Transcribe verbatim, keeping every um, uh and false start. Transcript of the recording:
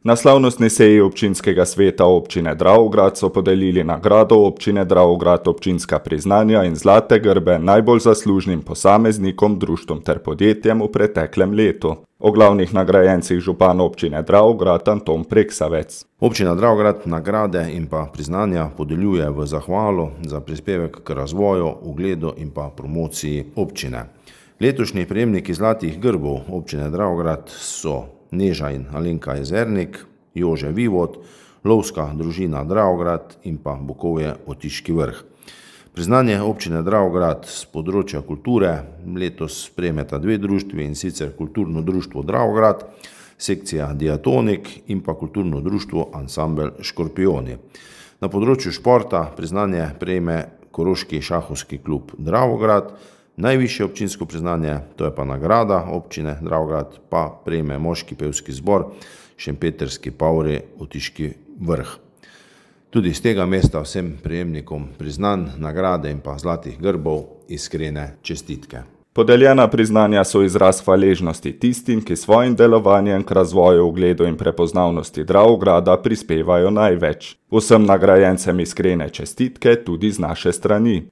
Na slavnostni seji občinskega sveta občine Dravograd so podelili nagrado občine Dravograd občinska priznanja in zlate grbe najbolj zaslužnim posameznikom, društvom ter podjetjem v preteklem letu. O glavnih nagrajencih župan občine Dravograd Anton Preksavec. Občina Dravograd nagrade in pa priznanja podeljuje v zahvalo za prispevek k razvoju, ugledu in pa promociji občine. Letošnji prejemniki zlatih grbov občine Dravograd so Neža in Alenka Jezernik, Jože Vivod, Lovska družina Dravograd in pa Bukovje Otiški Vrh. Priznanje občine Dravograd z področja kulture letos prejmeta dve društvi, in sicer Kulturno društvo Dravograd, sekcija Diatonik in pa Kulturno društvo Ansambel Škorpijoni. Na področju športa priznanje prejme Koroški šahovski klub Dravograd. Najvišje občinsko priznanje, to je pa nagrada občine Dravograd, pa prejme moški pevski zbor Šempetrski Pavri Otiški Vrh. Tudi z tega mesta vsem prejemnikom priznanj, nagrade in pa zlatih grbov iskrene čestitke. Podeljena priznanja so izraz hvaležnosti tistim, ki svojim delovanjem k razvoju, ugledu in prepoznavnosti Dravograda prispevajo največ. Vsem nagrajencem iskrene čestitke tudi z naše strani.